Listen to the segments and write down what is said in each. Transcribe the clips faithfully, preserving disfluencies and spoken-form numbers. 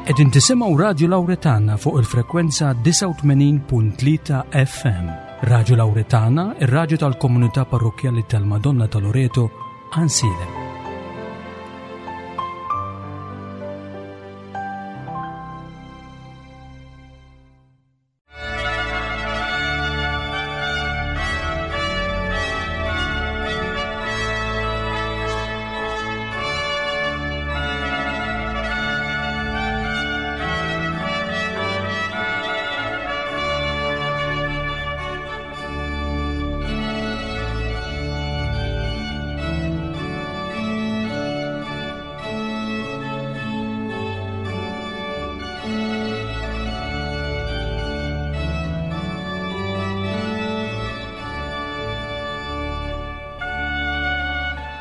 Qegħdin tisimgħu Radju Lawretana fuq il-frekwenza disgħa u tmenin punt tlieta F M. Radju Lawretana, ir-radju tal-komunità parrokkjali tal-Madonna ta' Loreto, Għajnsielem.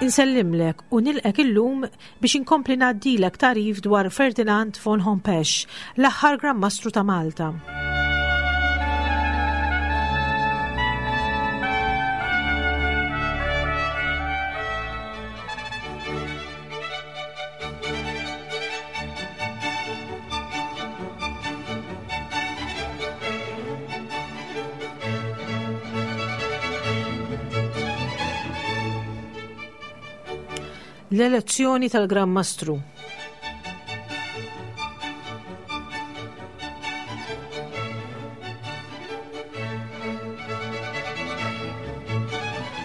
Insellimlek u nilqek illum biex inkompli ngħaddilek tarif dwar Ferdinand von Hompesch, l-aħħar Gran Mastru ta' Malta. L-elezzjoni tal-Gran Mastru.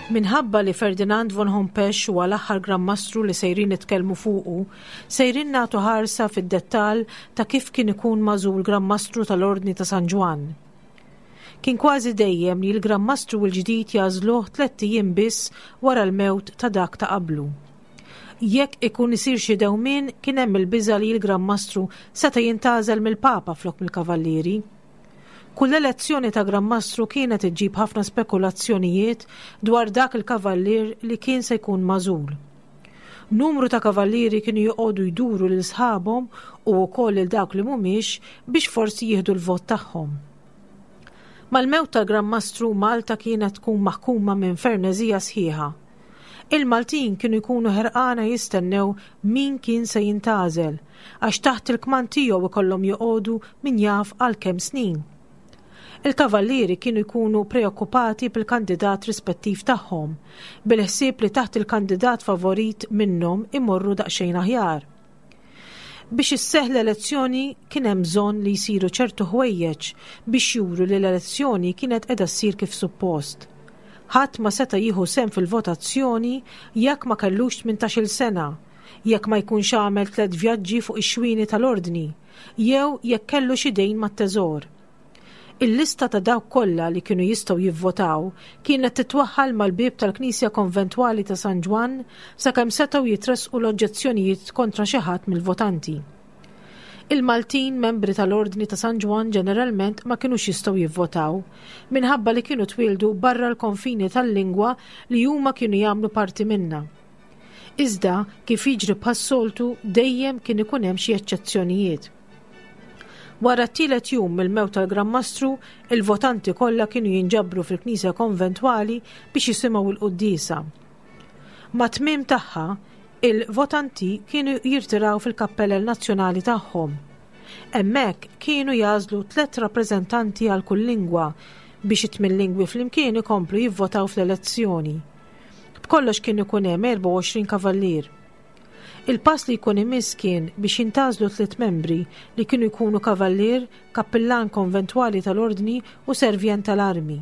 Minħabba li Ferdinand von Hompesch huwa l-aħħar Gran Mastru li sejrin nitkellmu fuqu, sejrin nagħtu ħarsa fid-dettall ta' kif kien ikun magħżul Gran Mastru tal-Ordni ta' San Ġwann. Kien kważi dejjem li l-Gran Mastru l-ġdid jagħżluh tlett ijiem biss wara l-mewt ta' dak ta' qablu. Jekk ikun isir xi dewmien, kien hemm il-biża' li l-Gran Mastru seta' jintgħażel mill-Papa flok mill-Kavallieri. Kull elezzjoni ta' Gran Mastru kienet iġġib ħafna spekulazzjonijiet dwar dak il-kavallier li kien se jkun magħżul. Numru ta' kavallieri kienu joqogħdu jduru lil sħabhom u wkoll lil dawk li mhumiex biex forsi jieħdu l-vot tagħhom. Mal-mewt tal-Gran Mastru Malta kienet tkun maħkuma minn fernezija sħiħa. Il-Maltin kienu jkunu ħerqana jistennew min kien se jintgħażel, għax taħt il-kmand tiegħu ikollhom joqogħdu min jaf għal kemm snin. Il-kavallieri kienu jkunu preokkupati bil-kandidat rispettiv tagħhom, bil-ħsieb li taħt il-kandidat favorit minnhom imorru daqsxejn aħjar. Biex isseħħ l-elezzjoni kien hemm bżonn li jsiru ċertu ħwejjeġ biex juru li l-elezzjoni kienet qiegħda ssir kif suppost. Ħadd ma seta' jieħu sehem fil-votazzjoni jekk ma kellux tmintax-il sena, jekk ma jkunx għamel tliet vjaġġi fuq ix-xwieni tal-ordni, jew jekk kellu xi dejn mat-teżor. Il-lista ta' dawk kollha li kienu jistgħu jivvotaw kienet titwaħħal mal-bieb tal-Knisja Konventwali ta' San Ġwann sakemm setgħu jitressqu l-oġġezzjonijiet kontra xi ħadd mill-votanti. Il-Maltin membri tal-Ordni ta' San Ġwann ġeneralment ma kinux jistgħu jivvotaw minħabba li kienu twildu barra l-konfini tal-lingwa li huma kienu jagħmlu parti minnha. Iżda kif jiġri bħas-soltu dejjem kien ikun hemm xi eċċezzjonijiet. Wara t-tielet jum mill-mewt tal-Gran Mastru, il-votanti kollha kienu jinġabru fil-Knisja Konventwali biex jisimgħu l-quddiesa. Ma' tmiem tagħha, il-votanti kienu jirtiraw fil-kappellel nazzjonali tagħhom. Hemmhekk kienu jagħżlu tliet rappreżentanti għal kull lingwa biex it-tmien lingwi flimkien ikomplu jivvotaw fl-elezzjoni. B'kollox kien ikun hemm erbgħa u għoxrin kavallier. Il-pass li jkun imiss kien biex jintgħażlu tliet membri li kienu jkunu kavallier, kappillan konventwali tal-ordni u servjent tal-armi.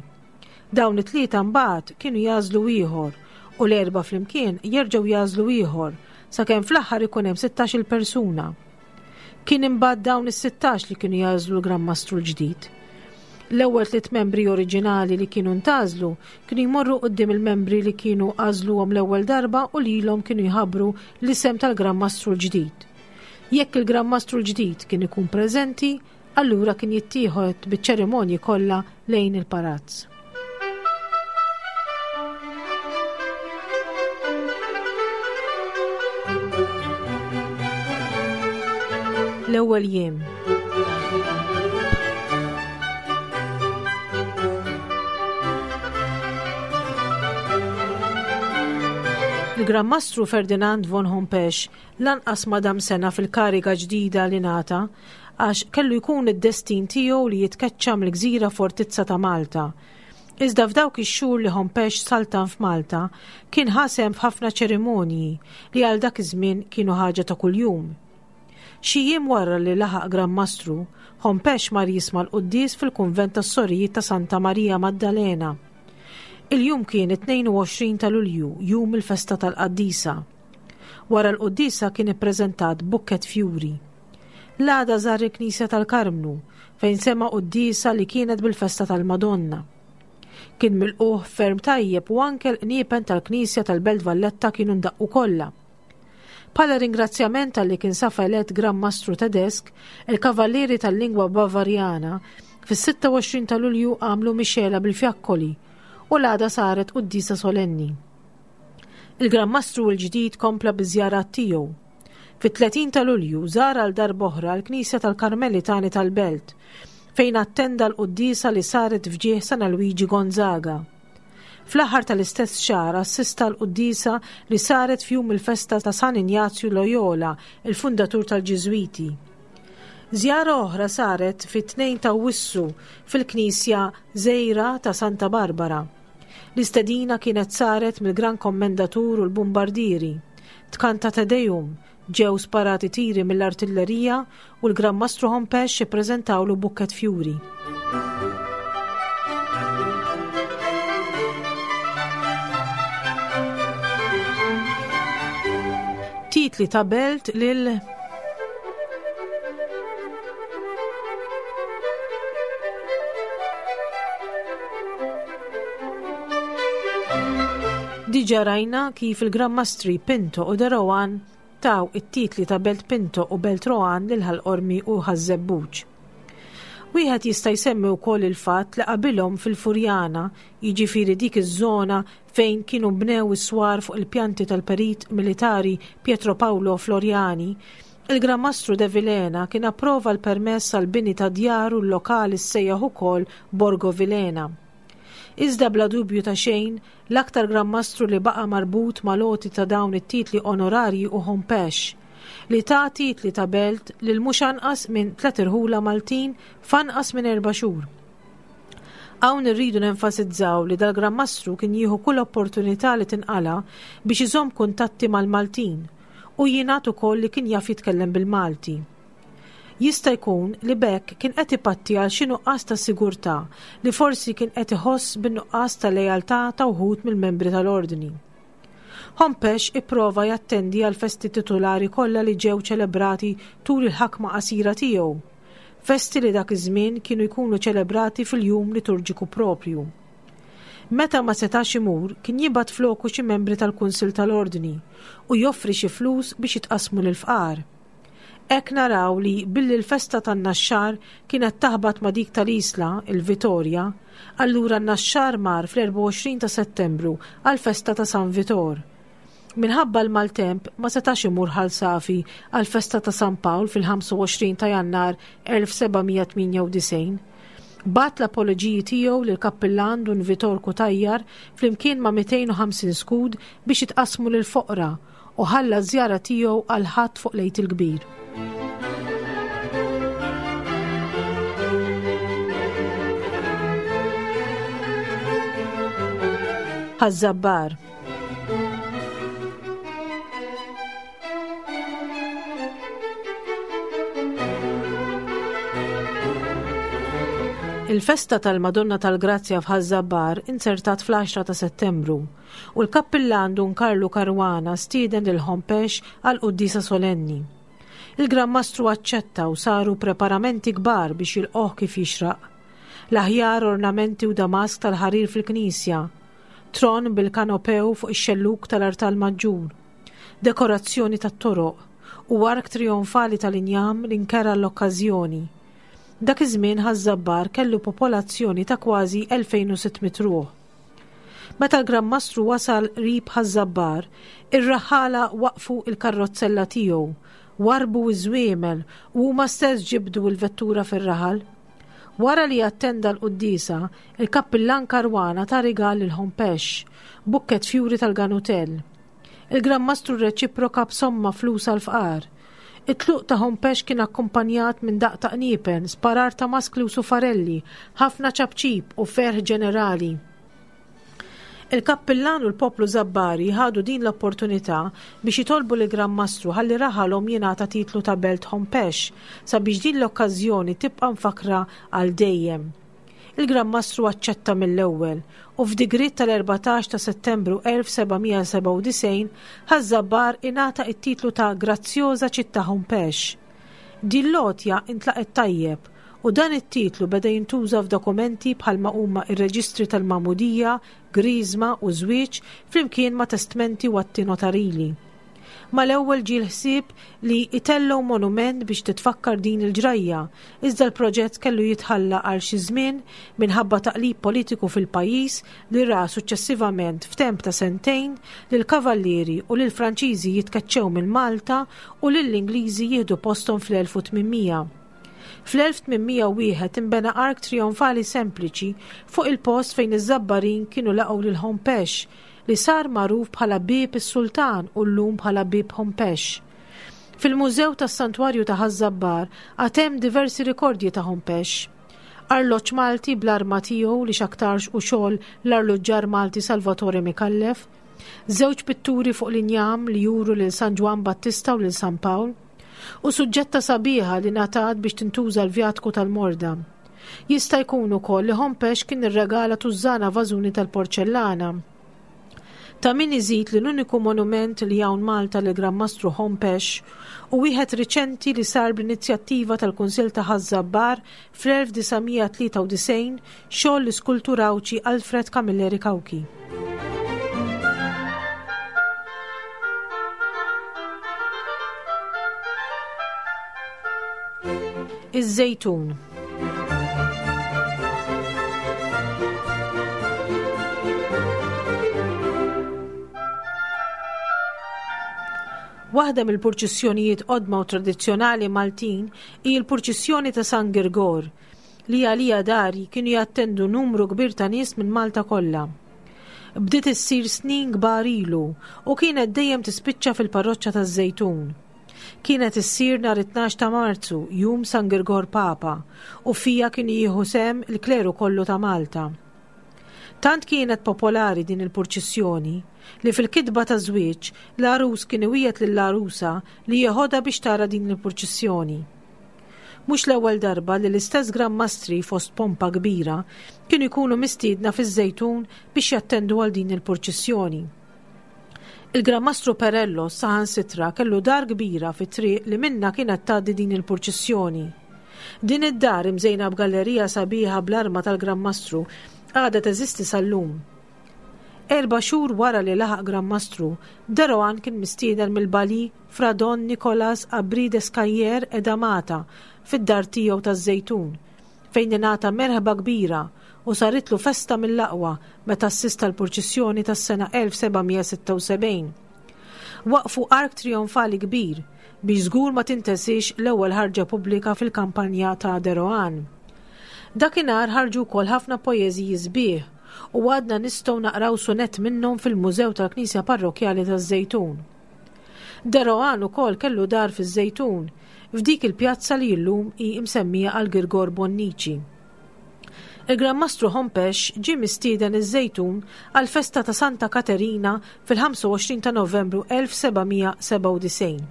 Dawn it-tlieta mbagħad kienu jagħżlu ieħor u l-erba' flimkien jerġgħu jagħżlu ieħor sakemm fl-aħħar ikun hemm sittax-il persuna. Kien imbagħad dawn is-sittax li kienu jagħżlu l-Gran Mastru l-ġdid. L-ewwel tliet membri oriġinali li kienu ntgħażlu kienu jmorru quddiem il-membri li kienu għażluhom l-ewwel darba u lilhom kienu jħabbru l-isem tal-Gran Mastru l-ġdid. Jekk il-Gran Mastru l-ġdid kien ikun preżenti, allura kien jittieħed biċ-ċerimonji kollha lejn il-palazz. L-ewwel jiem. Il-Gran Mastru Ferdinand von Hompesch lanqas ma dam sena fil-kariga ġdida li ngħata għax kellu jkun id-destin tiegħu li jitkeċċa mill-gżira fortizza ta' Malta. Iżda f'dawk ix-xhur li Hompesch saltan f'Malta kien ħa sehem f'ħafna ċerimonji li għal dak iż-żmien kienu ħaġa ta' kuljum. Xi jiem wara li laħaq Gran Mastru, Hompesch mar jisma' l-quddies fil-kunvent tas-Sorijiet ta' Santa Marija Maddalena. Il-jum kien it-tnejn u għoxrin ta' Lulju, jum il-festa tal-Qaddisa. Wara l-quddiesa kien ippreżentat bukket fjuri. L-għada żar il-Knisja tal-Karmnu, fejn sema' quddiesa li kienet bil-festa tal-Madonna. Kien milquh ferm tajjeb u anke l-qniepen tal-Knisja tal-Belt Valletta kienu ndaqqu kollha. Bħala ringrazzjament tal-li kien safa elett Gran Mastru Tedesk, il-Kavallieri tal-Lingwa Bavarjana fis-sitta u għoxrin ta' Lulju għamlu mixela bil-fjakkoli u l-għada saret quddiesa solenni. Il-Gran Mastru l-ġdid kompla biż-żjarat tiegħu. Fit-tletin ta' Lulju żar għal darb'oħra l-Knisja tal-Karmelitani tal-Belt, fejn attenda l-quddiesa li saret f'ġieħ San Luigi Gonzaga. Fl-aħħar tal-istess xahar assista l-quddiesa li saret f'jum il-festa ta' San Ignazju Loyola, il-fundatur tal-Ġiżwiti. Żjara oħra saret fit-tnejn ta' Awwissu fil-Knisja Żgħira ta' Santa Barbara. L-istedina kienet saret mill-Gran Kommendatur u l-Bombardieri. Tkanta Te Deum, ġew sparati tiri mill-artillerija u l-Gran Mastru Hompesch ippreżentawlu bukket fjuri. Titli ta' belt lil Diġa rajna kif il-Gran Mastri Pinto u de Rohan taw it-titli ta' Belt Pinto u Belt Rohan lil Ħal Qormi u Ħaż-Żebbuġ. Wieħed jista' jsemmi wkoll il-fatt li qabilhom fil-Furjana, jiġifieri dik iż-żona fejn kienu bnew is-swar fuq il-pjanti tal-perit militari Pietro Paolo Floriani, il-Gran Mastru de Vilhena kien approva l-permess għal bini ta' djar u l-lokali ssejjaħ ukoll Borgo Vilhena. Iżda bla dubju ta' xejn, l-aktar Gran Mastru li baqa' marbut mal-għoti ta' dawn it-titli onorarji u Hompesch, li ta' titli ta' belt lil mhux anqas minn tliet irħula Maltin f'anqas minn erba' xhur. Hawn irridu nenfasizzaw li dal-Gran Mastru kien jieħu kull opportunità li tinqala biex iżomm kuntatti mal-Maltin u jingħad ukoll li kien jaf jitkellem bil-Malti. Jista' jkun li b'hekk kien qed ipatti għal xi nuqqas ta' sigurtà li forsi kien qed iħoss bin-nuqqas ta' lealtà ta' wħud mill-membri tal-ordni. Hompesch ipprova jattendi għal festi titolari kollha li ġew ċelebrati tul il-ħakma qasira tiegħu, festi li dak iż-żmien kienu jkunu ċelebrati fil-jum liturġiku propju. Meta ma setax imur, kien jibgħat floku xi membri tal-Kunsill tal-Ordni u joffri xi flus biex jitqasmu lill-fqar. Hekk naraw li billi l-festa tan-Naxxar kienet taħbat ma' dik tal-Isla, il-Vitorja, allura n-Naxxar mar fl-erbgħa u għoxrin ta' Settembru għall-festa ta' San Vitor. Minħabba l-maltemp ma setax imur Ħal Safi għall-festa ta' San Pawl fil-ħamsa u għoxrin ta' Jannar elf seba' mija tmienja u disgħin. Bat l-apoloġiji tiegħu lil kappillan Dun Vitor Kutajjar flimkien ma' mitejn u ħamsin skud biex jitqasmu lil foqra u ħalla żjara tiegħu għal ħadd fuq l-Għid il-Kbir. Ħaż-Żabbar. Il-festa tal-Madonna tal-Grazzja f'Ħaż-Żabbar insertat fl-għaxra ta' Settembru u l-kappillan Dun Karlu Caruana stieden lil Hompesch għal quddiesa solenni. Il-Gran Mastru aċċetta u saru preparamenti kbar biex jilqoh kif jixraq. L-aħjar ornamenti u damask tal-ħarir fil-knisja, tron bil-kanopew fuq ix-xelluk tal-artal maġġur, dekorazzjoni tat-toroq u ark trionfali tal-injam li nkera l-okkażjoni. Dak iż-żmien Ħaż-Żabbar kellu popolazzjoni ta' kważi elfejn u sitt mitt ruħ. Meta l-Gran Mastru wasal qrib Ħaż-Żabbar, ir-raħħala waqfu il-karrozzella tiegħu, warbu iż-żwiemel u huma stess ġibdu l-vettura fir-raħal. Wara li attenda l-quddiesa, il-kappillan Caruana ta' rigal lil Hompesch, bukket fjuri tal-Ganutell. Il-Gran Mastru rreċiproka b'somma flus għall-fqar. It-tluq ta' Hompesch kien akkumpanjat minn daqq ta' qniepen, sparar ta' maskli u sufarelli, ħafna ċapċip u ferħ ġenerali. Il-kappillan u l-poplu Żabbari ħadu din l-opportunità biex jitolbu lill-Gran Mastru ħalli raħalhom jingħata titlu ta' Belt Hompesch sabiex din l-okkażjoni tibqa' mfakkra għal dejjem. Il-Gran Mastru aċċetta mill-ewwel u f'digriet tal-erbatax ta' Settembru elf seba' mija sebgħa u disgħin Ħaż-Żabbar ingħata t-titlu ta' Grazzjoża Ċittà Hompesch. Din l-għotja intlaqet tajjeb u dan it-titlu beda jintuża f'dokumenti bħalma huma r-reġistri tal-magħmudija, griżma u żwieġ flimkien ma' testmenti u atti notarili. Mal-ewwel ġie l-ħsieb li jtellgħu monument biex titfakkar din il-ġrajja, iżda l-proġett kellu jitħalla għal xi żmien minħabba taqlib politiku fil-pajjiż li ra suċċessivament f'temp ta' sentejn lill-Kavallieri u lill-Franċiżi jitkeċċew minn Malta u lill-Ingliżi jieħdu posthom fl-elf u tmien mija. Fl-elf tmien mija u wieħed inbena ark trionfali sempliċi fuq il-post fejn iż-Żabbarin kienu laqgħu lil Hompesch, li sar magħruf bħala Bieb is-Sultan u llum bħala Bieb Hompesch. Fil-Mużew tas-Santwarju ta' Ħaż-Żabbar għad hemm diversi rikordji ta' Hompesch. Arloġġ Malti bl-arma tiegħu li x'aktarx u xogħol l-arloġġar Malti Salvatore Micallef, żewġ pitturi fuq l-injam li juru lil San Ġwann Battista u lil San Pawl, u suġġetta sabiħa li ngħatat biex tintuża l-vjatku tal-morda. Jista' jkun ukoll li Hompesch kien irregala tużżana vażuni tal-porċellana. Ta' min iżid li l-uniku monument li hawn Malta lil Gran Mastru Hompesch u wieħed riċenti li sar bl-inizjattiva tal-Kunsill ta' Ħaż-Żabbar fl-elf disa' mija tlieta u disgħin xogħol l-iskultur Għawdxi Alfred Camilleri Cauchi. Iż-Żejtun. Waħda mill-purċissjonijiet qodma u tradizzjonali Maltin hi l-purċissjoni ta' San Girgor, li għalija dari kienu jattendu numru kbir ta' nies minn Malta kollha. Bdiet issir snin kbar ilu u kienet dejjem tispiċċa fil-parroċċa taż-Żejtun. Kienet issir nhar it-tnax ta' Marzu, jum San Girgor Papa, u fija kien jieħu sehem il-kleru kollu ta' Malta. Tant kienet popolari din il-purċissjoni li fil-kitba ta' żwieġ l-għarus kien iwiegħed lill-għarusa li jeħodha biex tara din il-purċissjoni. Mhux l-ewwel darba li l-istess Gran Mastri fost pompa kbira kienu jkunu mistiedna fiż-Żejtun biex jattendu għal din il-purċissjoni. Il-Gran Mastru Perello saħansitra kellu dar kbira fit-triq li minna kienet tgħaddi din il-purċissjoni. Din id-dar imżejna b'gallerija sabiħa bl-arma tal-Gran Mastru għadha teżisti sal-lum. Erba' xhur wara li laħaq Gran Mastru, de Rohan kien mistieden mill-Bali Fra Don Nicolas Aubry de Scayer e Damata fid-dar tiegħu taż-Żejtun, fejn ingħata merħba kbira u saritlu festa mill-aqwa meta assista l-purċissjoni tas-sena elf seba' mija sitta u sebgħin. Waqfu ark trionfali kbir biex żgur ma tintesix l-ewwel ħarġa pubblika fil-kampanja ta' de Rohan. Dakinhar ħarġu wkoll ħafna poeżiji sbieħ u għadna nistgħu naqraw sunett minnhom fil-Mużew tal-Knisja Parrokjali taż-Żejtun. De Rohan ukoll kellu dar fiż-Żejtun, f'dik il-pjazza li llum hi msemmija għal Girgor Bonnici. Il-Gran Mastru Hompesch ġie mistieden iż-Żejtun għal festa ta' Santa Katerina fil-ħamsa u għoxrin ta' Novembru elf seba' mija sebgħa u disgħin.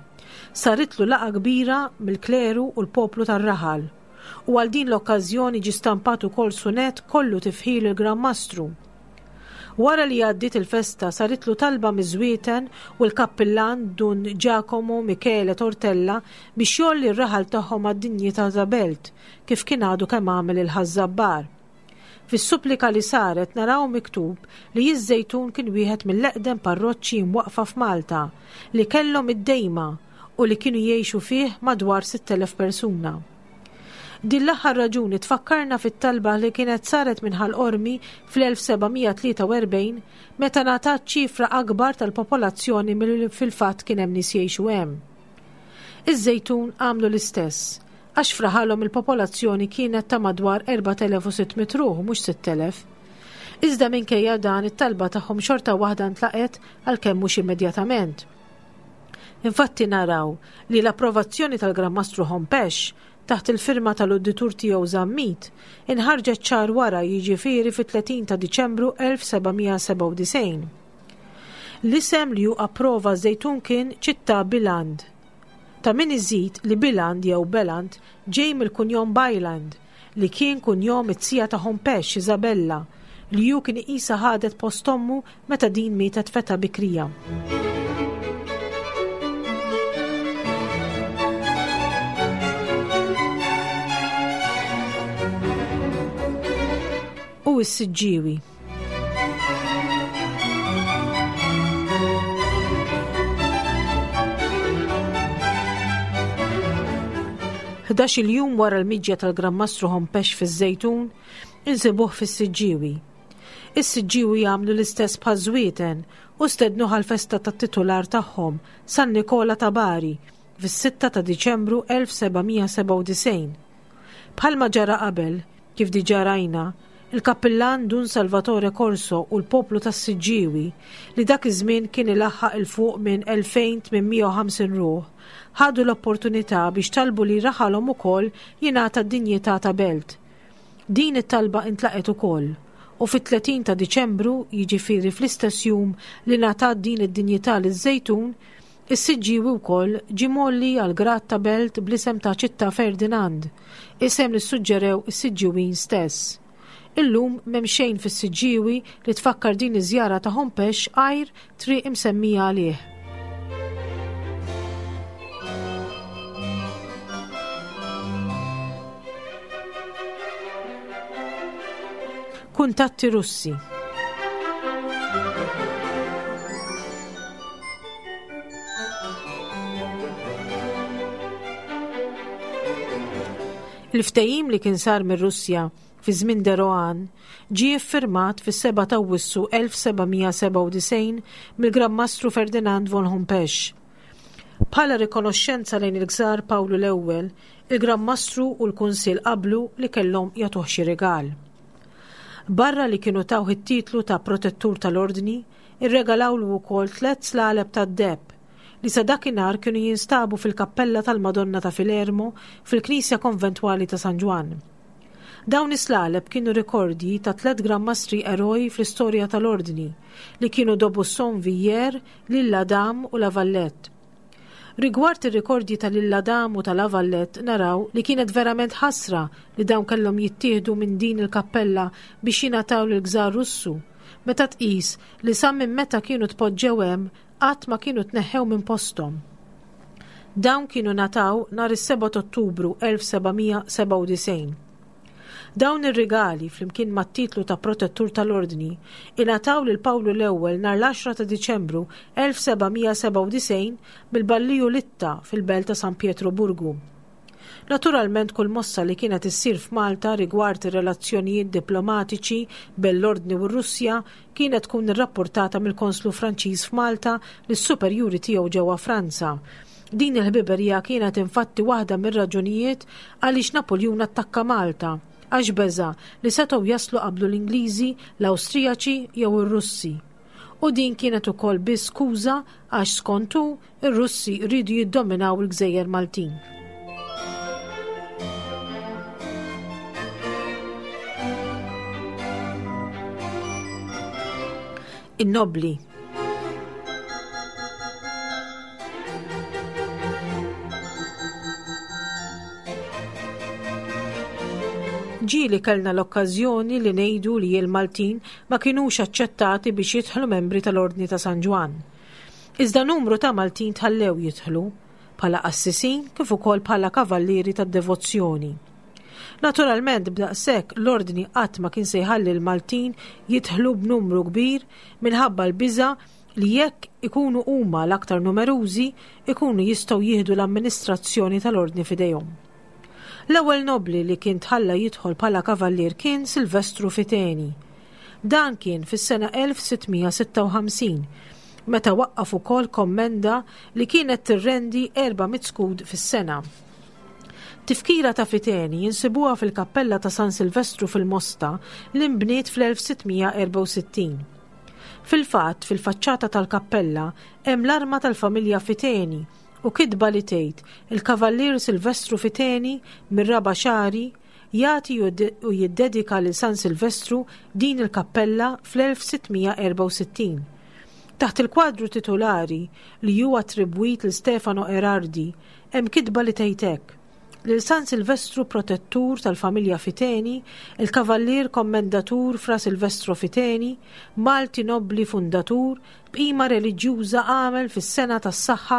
Saritlu laqgħa kbira mill-kleru u l-poplu tar-raħal, u għal din l-okkażjoni ġie stampat ukoll sunett kollu tifħir il-Gran Mastru. Wara li għaddiet il-festa saritlu talba miż-Żwieten u l-kappillan Dun Giacomo Michele Tortella biex jolli r-raħal tagħhom għad-dinjità ta' belt, kif kien għadu kemm għamel il-Ħaż-Żabbar. Fis-supplika li saret naraw miktub li iż-Żejtun kien wieħed mill-eqdem parroċċi mwaqfa f'Malta li kellhom id-dejma u li kienu jgħixu fih madwar sitt elef persuna. Din l-aħħar raġuni tfakkarna fit-talba li kienet saret minn Ħal Qormi fl-elf seba' mija tlieta u erbgħin meta ngħatat ċifra akbar tal-popolazzjoni milli fil-fatt kien hemm nies jgħixu hemm. Iż-Żejtun għamlu l-istess, għax fraħalhom il-popolazzjoni kienet ta' madwar erbat elef u sitt mitt ruħ u mhux sitt elef. Iżda minkejja dan it-talba tagħhom xorta waħda ntlaqet għalkemm mhux immedjatament. Infatti naraw li l-approvazzjoni tal-Gran Mastru Hompesch taħt il-firma tal-udditur tiegħu Zammit inħarġet xahar wara, jiġifieri fit-tletin ta' Diċembru elf seba' mija sebgħa u disgħin. L-isem li hu approva Żejtun kien Ċittà Biland. Ta' min iżid li Biland jew Beland ġej mill-kunjom Byland, li kien kunjom it-sija ta' Hompesch Isabella, li hu kien iqisha ħadet post ommu meta din mietet feta bikrija. U s-Siġġiewi. Ħdax-il jum wara l-miġja tal-Gran Mastru Hompesch fiż-Żejtun, insibuh fis-Siġġiewi. Is-Siġġiewi jagħmlu l-istess bħaż-Żwieten u stednuh għall-festa tat-titular tagħhom, San Nikola ta' Bari, fis-sitta ta' Diċembru elf seba' mija sebgħa u disgħin. Bħalma ġara qabel, kif diġà rajna, il-kappillan Dun Salvatore Corso u l-poplu tas-Siġġiewi, li dak iż-żmien kien ilaħħaq il fuq minn elfejn tmien mija u ħamsin ruħ, ħadu l-opportunità biex talbu li raħalhom ukoll jingħata d-dinjità ta' belt. Din it-talba intlaqet ukoll, u fit-tletin ta' Diċembru, jiġifieri fl-istess jum li ngħatat din id-dinjità liż-Żejtun, is-Siġġiewi wkoll ġie mgħolli għal grad ta' belt bl-isem ta' Ċittà Ferdinand, isem li ssuġġerew is-Siġġiewin stess. Illum m'hemm xejn fis-Siġġiewi li tfakkar din iż-żjara ta' Hompesch għajr triq imsemmija għalih. Kuntatti Russi. Il-ftehim li kien sar mir-Russja fi żmien de Rohan ġie ffirmat fis-seba' ta' Awwissu elf seba' mija sebgħa u disgħin mill-Gran Mastru Ferdinand von Hompesch. Bħala rikonoxxenza lejn il-Gżar Pawlu l-Ewwel, il-Gran Mastru u l-Kunsill qablu li kellhom jagħtuh xi rigal. Barra li kienu tawh it-titlu ta' protettur tal-ordni, irregalawlu wkoll tliet slaleb tad-deheb li sa dakinhar kienu jinstabu fil-kappella tal-Madonna ta' Filermo fil-Knisja Konventwali ta' San Ġwann. Dawn is-slaleb kienu rekordji ta' tliet Gran Mastri eroj fl-istorja tal-ordni li kienu D'Aubusson Villiers, L'Isle-Adam u La Valette. Rigward ir-rekordji ta' L'Isle-Adam u ta' La Valette naraw li kienet verament ħasra li dawn kellhom jittieħdu minn din il-kappella biex jingħataw lill-Gżar Russu, meta tqis li sa minn meta kienu tpoġġew hemm qatt ma kienu tneħħew minn posthom. Dawn kienu nataw nhar is-seba' ta' Ottubru elf seba' mija sebgħa u disgħin. Dawn ir-rigali flimkien mat-titlu ta' protettur tal-ordni ingħataw lil Pawlu l-Ewwel nhar l-għaxra ta' Diċembru elf seba' mija sebgħa u disgħin mill-Balliju Litta fil-belt ta' San Pietroburgu. Naturalment kull mossa li kienet issir f'Malta rigward ir-relazzjonijiet diplomatiċi bejn l-Ordni u r-Russja kienet tkun irrapportata mill-Konslu Franċiż f'Malta lis-superjuri tiegħu ġewwa Franza. Din il-ħbiberija kienet infatti waħda mir-raġunijiet għaliex Napoljun attakka Malta, għax beża li setgħu jaslu qablu l-Ingliżi, l-Awstrijaċi jew ir-Russi. U din kienet ukoll biss skuża għax skontu ir-Russi rridu jiddominaw il-Gżejjer Maltin. In-nobli. Ġieli kellna l-okkażjoni li ngħidu li l-Maltin ma kinux aċċettati biex jidħlu membri tal-Ordni ta' San Ġwann. Iżda numru ta' Maltin tħallew jidħlu bħala qassisin kif ukoll bħala kavallieri tad-devozzjoni. Naturalment b'daqshekk l-Ordni qatt ma kien se jħalli l-Maltin jidħlu b'numru kbir minħabba l-biża' li jekk ikunu huma l-aktar numerużi ikunu jistgħu jieħdu l-amministrazzjoni tal-Ordni f'idejhom. L-ewwel nobli li kien tħalla jidħol bħala kavallier kien Silvestru Fiteni. Dan kien fis-sena elf sitt mija sitta u ħamsin, meta waqqaf ukoll kommenda li kienet tirrendi erba' mitt skud fis-sena. Tifkira ta' Fiteni jinsibuha fil-kappella ta' San Silvestru fil-Mosta li nbniet fl-elf sitt mija erbgħa u sittin. Fil-fatt, fil-faċċata tal-kappella hemm l-arma tal-familja Fiteni u kitba li tgħid il-Kavallier Silvestru Fiteni mir-Raba' Xagħri jagħti u jiddedika lil San Silvestru din il-kappella fl-elf sitt mija erbgħa u sittin. Taħt il-kwadru titolari li huwa attribwit lil Stefano Erardi hemm kitba li tgħid hekk: lil San Silvestru protettur tal-familja Fiteni, il-Kavallier Kommendatur Fra Silvestro Fiteni, Malti nobli fundatur, b'qima reliġjuża għamel fis-sena tas-saħħa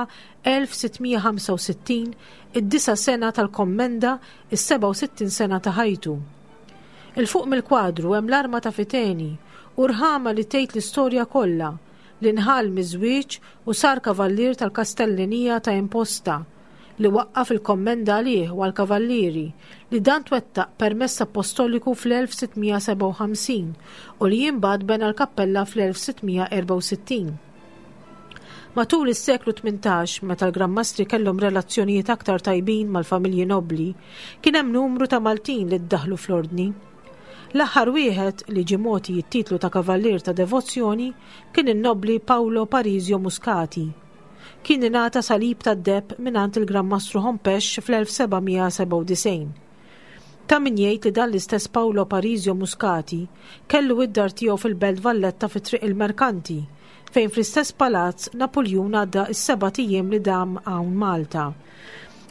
elf sitt mija ħamsa u sittin, id-disa' sena tal-kommenda, is-sebgħa u sittin sena ta' ħajtu. Il-fuq mill-kwadru hemm l-arma ta' Fiteni u rħama li tgħid l-istorja kollha, li nħall miż-żwieġ u sar kavallier tal-Kastellinija ta' Imposta, li waqqaf il-kommenda għalih u għall-kavallieri, li dan twettaq permess apostoliku fl-elf sitt mija sebgħa u ħamsin u li imbagħad bena l-kappella fl-elf sitt mija erbgħa u sittin. Matul is-seklu tmintax, meta l-Gran Mastri kellhom relazzjonijiet aktar tajbin mal-familji nobli, kien hemm numru ta' Maltin li ddaħlu fl-ordni. L-aħħar wieħed li ġie mogħti t-titlu ta' Kavallier ta' Devozzjoni kien in-nobli Paolo Parisio Muscati. Kien ingħata salib tad-deheb mingħand il-Gran Mastru Hompesch fl-elf seba' mija sebgħa u disgħin. Ta' min jgħid li dan l-istess Paolo Parisio Muscati kellu id-dar tiegħu fil-Belt Valletta fi Triq il-Merkanti, fejn fl-istess palazz Napoljun għadda s-seba' ijiem li dam hawn Malta.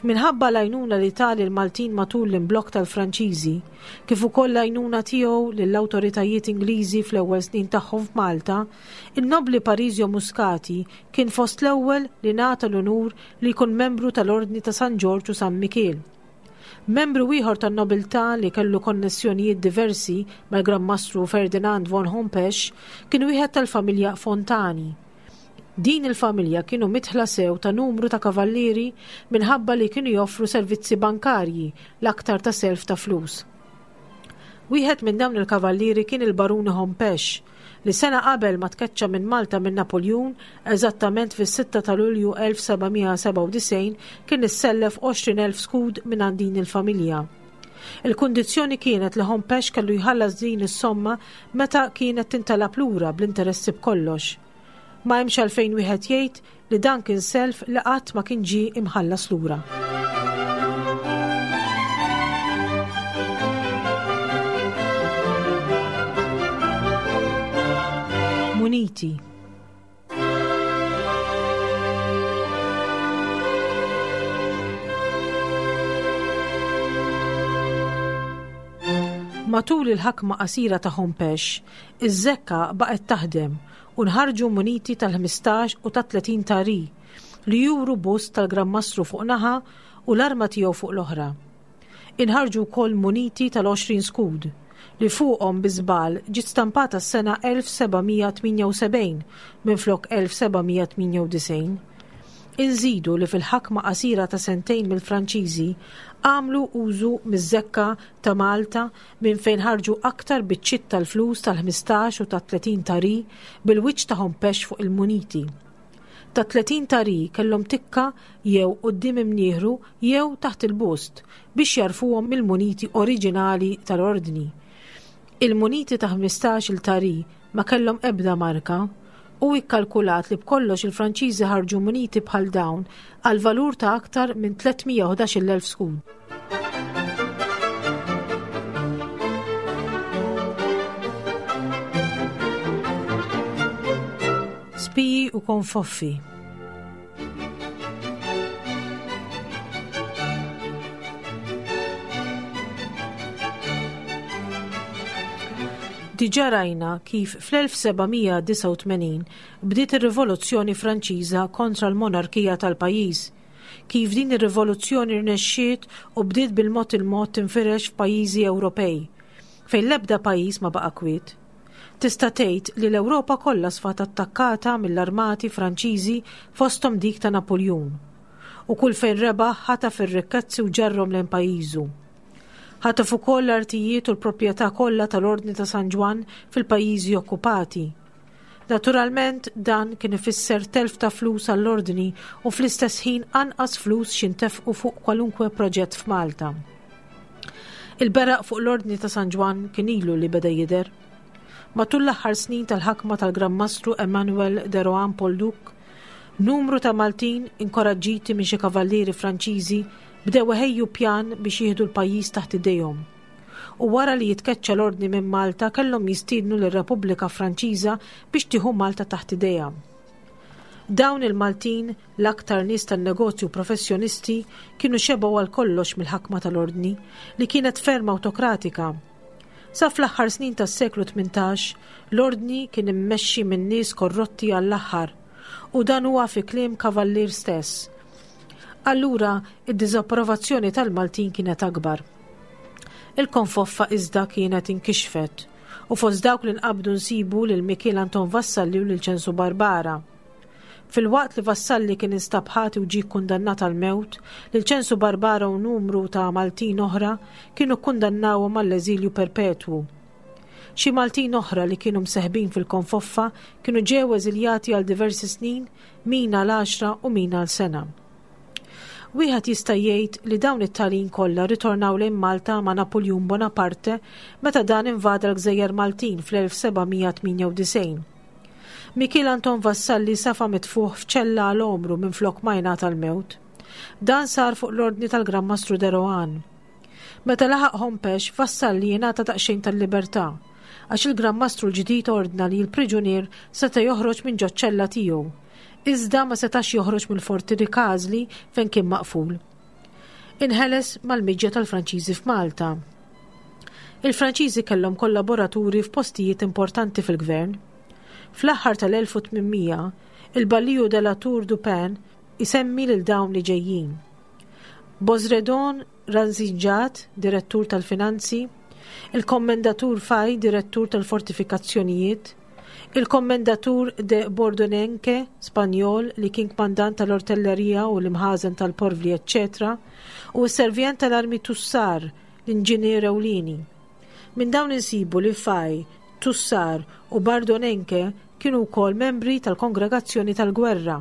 Minħabba l-għajnuna li ta lil Maltin matul l-imblokk tal-Franċiżi, kif ukoll l-għajnuna tiegħu lill-awtoritajiet Ingliżi fl-ewwel snin tagħhom f'Malta, in-nobli Parisio Muscati kien fost l-ewwel li ngħata l-unur li jkun membru tal-Ordni ta' San Ġorġ u San Mikiel. Membru ieħor tan-nobiltà li kellu konnessjonijiet diversi mal-Gran Mastru Ferdinand von Hompesch kien wieħed tal-familja Fontani. Din il-familja kienu mitħla sew ta' numru ta' kavallieri minħabba li kienu joffru servizzi bankarji l-aktar ta' self ta' flus. Wieħed minn dawn il-kavallieri kien il-Baruni Hompesch, li sena qabel ma tkeċċa minn Malta minn Napoljun, eżattament fis-sitta ta' Lulju elf seba' mija sebgħa u disgħin, kien issellef għoxrin elf skud minn għand din il-familja. Il-kundizzjoni kienet li Hompesch kellu jħallas din is-somma meta kienet tintalab lura bl-interessi b'kollox. Ma hemmx għalfejn wieħed jgħid li dan kien self li qatt ma kien ġie imħallas lura. Muniti. Matul il-ħakma qasira ta' Hompesch, iż-żekka baqgħet taħdem u nħarġu muniti tal-ħmistax u ta' tletin tari li juru bust tal-Gran Mastru fuq naħa u l-arma tiegħu fuq l-oħra. Inħarġu wkoll muniti tal-għoxrin skud li fuqhom bi żball ġiet stampata s-sena elf seba' mija tmienja u sebgħin minflok elf seba' mija tmienja u disgħin. Inżidu li fil-ħakma qasira ta' sentejn mill-Franċiżi għamlu użu miż-żekka ta' Malta minn fejn ħarġu aktar biċċiet tal-flus tal-ħmistax u tat-tletin tari bil-wiċċ ta' Hompesch fuq il-muniti. Ta' tletin tari kellhom tikka jew quddiem imnieħru jew taħt il-bust biex jarfuhom mill-muniti oriġinali tal-ordni. Il-muniti ta' ħmistax il-tari ma kellhom ebda marka u ikkalkulat li b'kollox il-Franċiżi ħarġu muniti bħal dawn għal valur ta' aktar minn tliet mija u ħdax-il elf skud. Spiji u konfoffi. Diġà rajna kif fl-elf seba' mija disgħa u tmenin bdiet ir-Rivoluzzjoni Franċiża kontra l-monarkija tal-pajjiż, kif din ir-rivoluzzjoni rnexxiet u bdiet bil-mod il-mod tinfirex f'pajjiżi Ewropej, fejn l-ebda pajjiż ma baqa' kwiet. Tista' tgħid li l-Ewropa kollha sfat attakkata mill-armati Franċiżi fosthom dik ta' Napoljun, u kull fejn rebaħ ħataf ir-rikkezzi u ġarrhom lejn pajjiżu. Ħataf ukoll l-artijiet u l-proprjetà kollha tal-Ordni ta' San Ġwann fil-pajjiżi okkupati. Naturalment dan kien ifisser telf ta' flus għall-ordni u fl-istess ħin anqas flus x'jintefqu fuq kwalunkwe proġett f'Malta. Il-beraq fuq l-ordni ta' San Ġwann kien ilu li beda jidher. Matul l-aħħar snin tal-ħakma tal-Gran Mastru Emmanuel de Rohan Polduc, numru ta' Maltin inkoraġġiti minn xi kavallieri Franċiżi bdew iħejju pjan biex jieħdu l-pajjiż taħt idejhom. U wara li jitkeċċa l-ordni minn Malta kellhom jistiednu lir-Repubblika Franċiża biex tieħu Malta taħt idejha. Dawn il-Maltin, l-aktar nies tan-negozju professjonisti, kienu xebgħu għal kollox mill-ħakma tal-ordni li kienet ferm awtokratika. Sa fl-aħħar snin tas-seklu tmintax, l-ordni kien immexxi minn nies korrotti għall-aħħar, u dan huwa fi kliem Kavallier stess. Allura, id-diżapprovazzjoni tal-Maltin kienet akbar. Il-konfoffa iżda kienet inkixfet, u fost dawk li nqabdu nsibu lil Mikiel Anton Vassalli u lil Ċensu Barbara. Filwaqt li Vassalli kien instab ħati u ġie kkundannat għall-mewt, lil Ċensu Barbara u numru ta' Maltin oħra kienu kkundannawhom għall-eżilju perpetwu. Xi Maltin oħra li kienu mseħbin fil-konfoffa kienu ġew eżiljati għal diversi snin, min għal għaxra u min għal sena. Wieħed jista' jgħid li dawn it-talin kollha ritornaw lejn Malta ma' Napuljun Bonaparte meta dan invada l-Gżejjer Maltin fl-elf seba' mija tmienja u disgħin. Mikiel Anton Vassalli safa mitfuħ f'ċella għal għomru minflok ma jingħata l-mewt. Dan sar fuq l-ordni tal-Gran Mastru de Rohan. Meta laħaq Hompesch, Vassalli jingħata daqsxejn tal-libertà, għax il-Gran Mastru l-ġdid ordna li l-priġunier seta' joħroġ minn ġoċ-ċella tiegħu. Iżda ma setax joħroġ mill-Forti Ricasoli fejn kien maqful. Inħeles mal-miġja tal-Franċiżi f'Malta. Il-Franċiżi kellhom kollaboraturi f'postijiet importanti fil-gvern. Fl-aħħar tal-elf u tmien mija, il-Balliju de la Tour du Pin isemmi lil dawn li ġejjin. Bosredon Ranzinġat, direttur tal-Finanzi, il-Kommendatur Faj, direttur tal-Fortifikazzjonijiet, il-Kommendatur de Bordonenque, Spanjol, li kien kmandant tal-Ortellerija u l-imħażen tal-Porvli, eccetera, u s-servjent tal-armi Tussar, l-inġinier ewlieni. Minn dawn insibu li Faj, Tussar u Bardonenque kienu wkoll membri tal-Kongregazzjoni tal-Gwerra.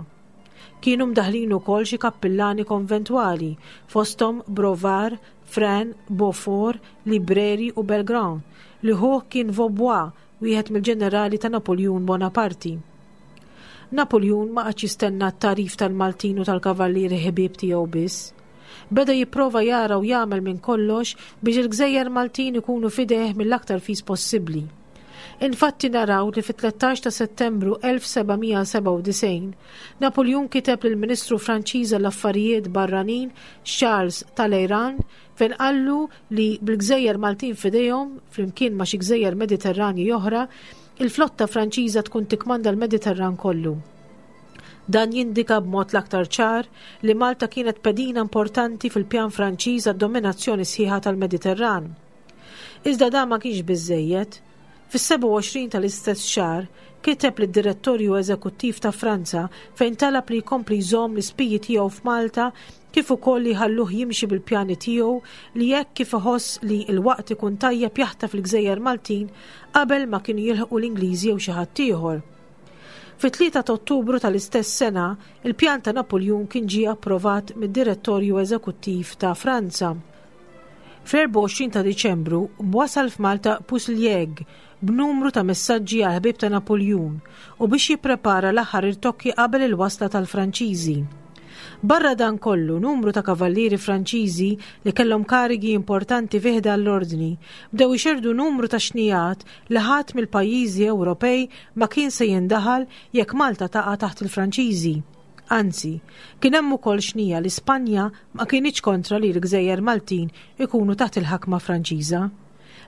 Kienu mdaħlin ukoll xi kappillani konventwali, fosthom Brovar, Fren, Beaufort, Libreri u Belgrand, li ħuh kien Vaubois, wieħed mill-ġenerali ta' Napoljun Bonaparte. Napoljun ma qagħadx jistenna t-tarif tal-Maltin u tal-kavallieri ħbieb tiegħu biss. Beda jipprova jara u jagħmel minn kollox biex il-gżejjer Maltin ikunu fideh mill-aktar fis possibbli. Infatti naraw li fit-tlettax ta' Settembru elf seba' mija seba' u disgħin, Napoljun kiteb lill-Ministru Franċiż għall-Affarijiet Barranin Charles Talleyrand fejn qallu li bil-gżejjer Maltin f'idejhom, flimkien ma' xi gżejjer Mediterranji oħra, il-flotta Franċiża tkun tikmanda l-Mediterran kollu. Dan jindika b'mod l-aktar ċar li Malta kienet pedina importanti fil-pjan Franċiż għad-dominazzjoni sħiħa tal-Mediterran. Iżda dan ma kienx biżżejjed. Fis-sebgħa u għoxrin tal-istess xahar kiteb lid-Direttorju Eżekuttiv ta' Franza fejn talab li jkompli jżomm l-ispiji tiegħu f'Malta kif ukoll li jħalluh jimxi bil-pjani tiegħu li hekk kif iħoss li l-waqt ikun tajjeb jaħtaf il-Gżejjer Maltin qabel ma kienu jilħqu l-Ingliżi jew xi ħadd ieħor. Fit-tlieta ta' Ottubru tal-istess sena, il-pjan ta' Napoljun kien ġie approvat mid-Direttorju Eżekuttiv ta' Franza. Fl-erbgħa u għoxrin ta' Diċembru wasal f'Malta Puslieg b'numru ta' messaġġi għal ħbieb ta' Napoljun u biex jipprepara l-aħħar irtokki qabel il-wasla tal-Franċiżi. Barra dan kollu, numru ta' kavallieri Franċiżi li kellhom karigi importanti fi ħdan l-ordni bdew ixerdu numru ta' xnijat li ħadd mill-pajjiżi Ewropej ma kien se jindaħal jekk Malta taqa' taħt il-Franċiżi. Anzi, kien hemm ukoll xnija li Spanja ma kienx kontra li l-Gżejjer Maltin ikunu taħt il-ħakma Franċiża.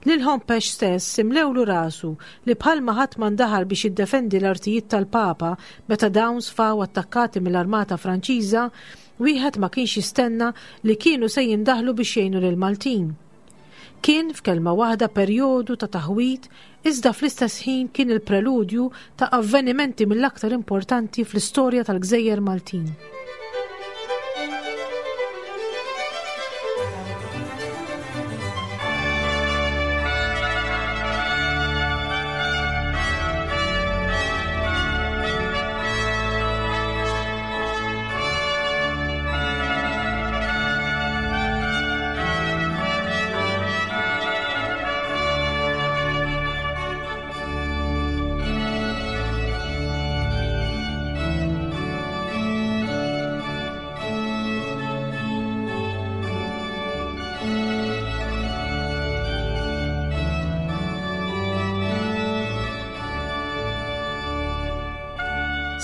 Lil Hompesch stess imlewlu rasu li bħalma ħadd ma ndaħal biex jiddefendi l-artijiet tal-Papa meta dawn sfaw attakkati mill-Armata Franċiża, wieħed ma kienx jistenna li kienu se jindaħlu biex jgħinu lil Maltin. Kien f'kelma waħda perjodu ta' taħwit, iżda fl-istess ħin kien il-preludju ta' avvenimenti mill-aktar importanti fl-istorja tal-Gżejjer Maltin.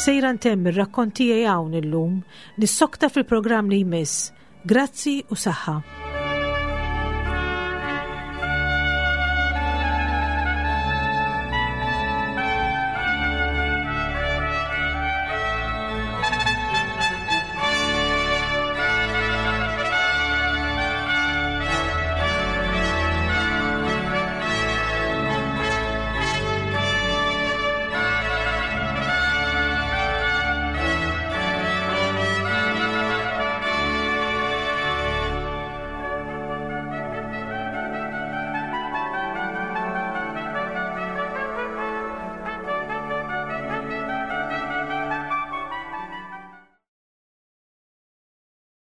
Sejra ntemm ir-rakkont tiegħi hawn illum, nissokta fil-programm li jmiss. Grazzi u saħħa.